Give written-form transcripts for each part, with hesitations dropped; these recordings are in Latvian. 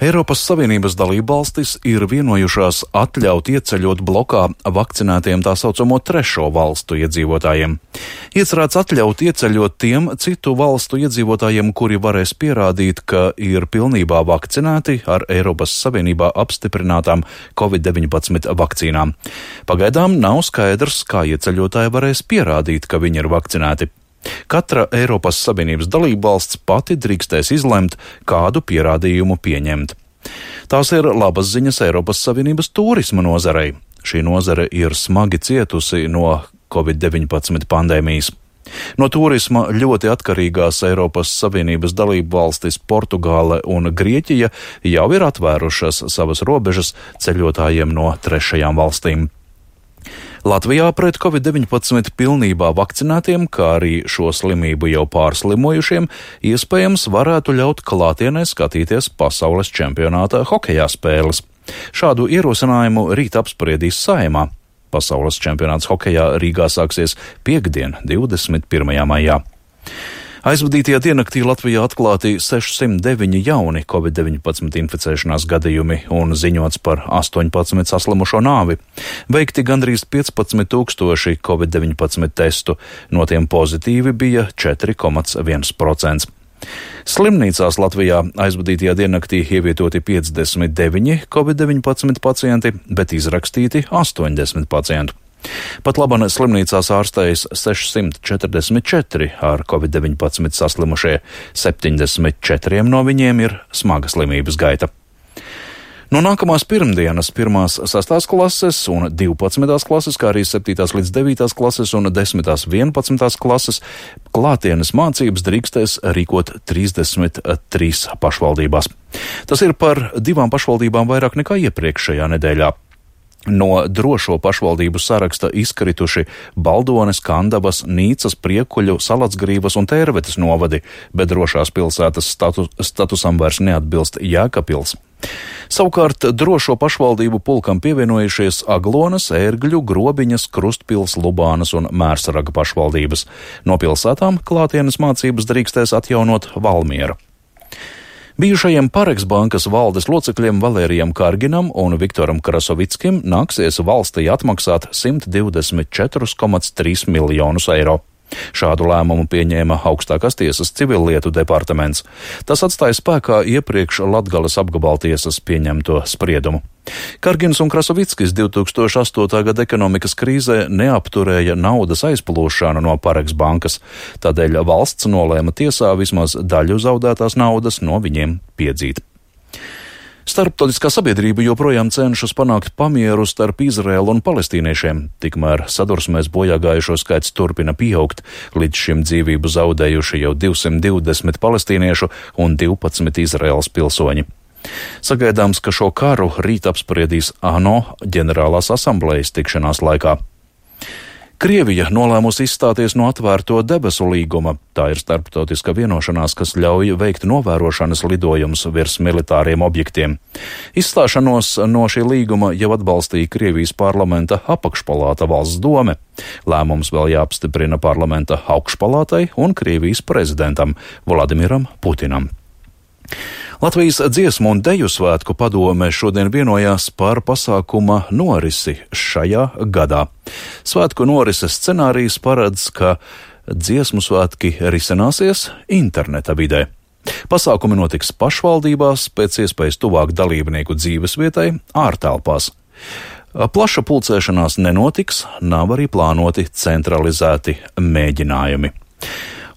Eiropas Savienības dalībvalstis ir vienojušās atļaut ieceļot blokā vakcinētiem tā saucamo trešo valstu iedzīvotājiem. Iecerēts atļaut ieceļot tiem citu valstu iedzīvotājiem, kuri varēs pierādīt, ka ir pilnībā vakcinēti ar Eiropas Savienībā apstiprinātām COVID-19 vakcīnām. Pagaidām nav skaidrs, kā ieceļotāji varēs pierādīt, ka viņi ir vakcinēti. Katra Eiropas Savienības dalībvalsts pati drīkstēs izlemt, kādu pierādījumu pieņemt. Tās ir labas ziņas Eiropas Savienības turisma nozarei. Šī nozare ir smagi cietusi no COVID-19 pandēmijas. No turisma ļoti atkarīgās Eiropas Savienības dalībvalstis Portugāle un Grieķija jau ir atvērušas savas robežas ceļotājiem no trešajām valstīm. Latvijā pret COVID-19 pilnībā vakcinētiem, kā arī šo slimību jau pārslimojušiem, iespējams varētu ļaut klātienē skatīties pasaules čempionāta hokejā spēles. Šādu ierosinājumu rīt apspriedīs Saeimā. Pasaules čempionāts hokejā Rīgā sāksies piektdien, 21. maijā. Aizvadītajā diennaktī Latvijā atklāti 609 jauni COVID-19 inficēšanās gadījumi un ziņots par 18 saslimušo nāvi. Veikti gandrīz 15,000 COVID-19 testu, no tiem pozitīvi bija 4,1%. Slimnīcās Latvijā aizvadītajā diennaktī ievietoti 59 COVID-19 pacienti, bet izrakstīti 80 pacientu. Pat labāk slimnīcās ārstējas 644 ar COVID-19 saslimušie, 74 no viņiem ir smaga slimības gaita. No nākamās pirmdienas 1. 6. klases un 12. klases, kā arī 7. līdz 9. klases un 10. 11. klases klātienes mācības drīkstēs rīkot 33 pašvaldībās. Tas ir par 2 pašvaldībām vairāk nekā iepriekšējā nedēļā. No drošo pašvaldību saraksta izkrituši Baldones, Kandavas, Nīcas, Priekuļu, Salacgrīvas un Tērvetes novadi, bet drošās pilsētas statusam vairs neatbilst Jēkabpils. Savukārt drošo pašvaldību pulkam pievienojušies Aglonas, Ērgļu, Grobiņas, Krustpils, Lubānas un Mērsaraga pašvaldības. No pilsētām klātienes mācības drīkstēs atjaunot Valmiera. Bijušajiem Pareks bankas valdes locekļiem Valērijam Karginam un Viktoram Krasovickim nāksies valstī atmaksāt 124,3 miljonus eiro. Šādu lēmumu pieņēma augstākās tiesas civillietu departaments. Tas atstāja spēkā iepriekš Latgales apgabaltiesas pieņemto spriedumu. Kargins un Krasovickis 2008. gada ekonomikas krīzē neapturēja naudas aizplūšanu no Pareks bankas, tādēļ valsts nolēma tiesā vismaz daļu zaudētās naudas no viņiem piedzīt. Starptautiskā sabiedrība joprojām cenšas panākt pamieru starp Izraēlu un palestīniešiem, tikmēr sadursmēs bojāgājušo skaits turpina pieaugt, līdz šim dzīvību zaudējuši jau 220 palestīniešu un 12 Izraēlas pilsoņi. Sagaidāms, ka šo karu rīt apspriedīs ANO ģenerālās asamblejas tikšanās laikā. Krievija nolēmusi izstāties no atvērto debesu līguma. Tā ir starptautiska vienošanās, kas ļauj veikt novērošanas lidojumus virs militāriem objektiem. Izstāšanos no šī līguma jau atbalstīja Krievijas parlamenta apakšpalāta Valsts dome. Lēmums vēl jāapstiprina parlamenta augšpalātai un Krievijas prezidentam Vladimiram Putinam. Latvijas dziesmu un deju svētku padome šodien vienojās par pasākuma norisi šajā gadā. Svētku norises scenārijs paredz, ka dziesmu svētki risināsies interneta vidē. Pasākumi notiks pašvaldībās, pēc iespējas tuvāk dalībnieku dzīvesvietai, ārtelpās. Plaša pulcēšanās nenotiks, nav arī plānoti centralizēti mēģinājumi.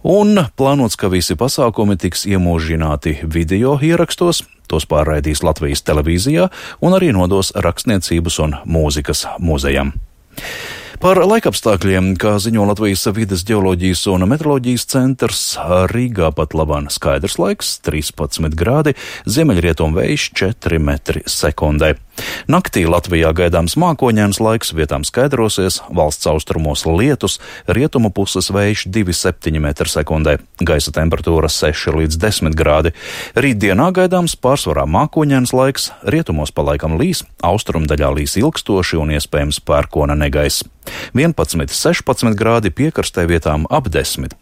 Un plānots, ka visi pasākumi tiks iemūžināti video ierakstos, tos pārraidīs Latvijas televīzijā un arī nodos Rakstniecības un mūzikas muzejam. Par laikapstākļiem, kā ziņo Latvijas vides ģeoloģijas un meteoroloģijas centrs, Rīgā pat labāk skaidrs laiks, 13 grādi, ziemeļrietumu vējš 4 metri sekundē. Naktī Latvijā gaidāms mākoņains laiks, vietām skaidrosies, valsts austrumos lietus, rietumu puses vējš 2,7 metri sekundē, gaisa temperatūra 6 līdz 10 grādi. Rītdienā gaidāms pārsvarā mākoņains laiks, rietumos pa laikam līs, austrumdaļā līs ilgstoši un iespējams pērkona negaiss. 11, 16 grādi, piekrastē vietām ap 10.